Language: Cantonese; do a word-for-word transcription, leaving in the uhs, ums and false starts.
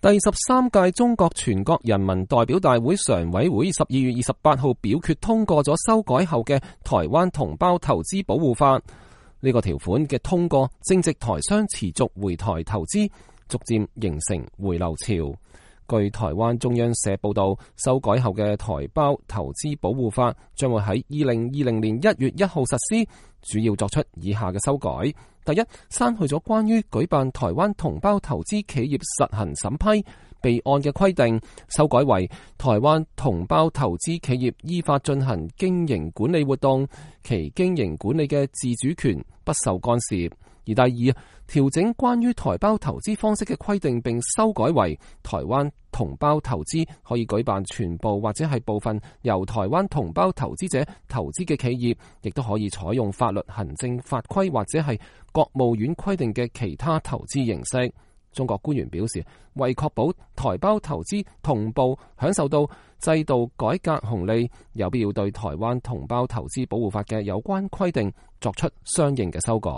第十三屆中國全國人民代表大會常委會十二月二十八號表決通過咗修改後嘅台灣同胞投資保護法。呢個條款嘅通過，正值台商持續回台投資，逐漸形成回流潮。據台灣中央社報道，修改後嘅台胞投資保護法將會喺二零二零年一月一號實施，主要作出以下嘅修改：第一，刪去咗關於舉辦台灣同胞投資企業實行審批備案嘅規定，修改為台灣同胞投資企業依法進行經營管理活動，其經營管理嘅自主權不受干涉。而第二，調整關於台胞投資方式嘅規定，並修改為台灣同胞投資可以舉辦全部或者係部分由台灣同胞投資者投資嘅企業，亦都可以採用法律行政法規或者係國務院規定嘅其他投資形式。中國官員表示，為確保台胞投資同步享受到制度改革紅利，有必要對台灣同胞投資保護法嘅有關規定作出相應嘅修改。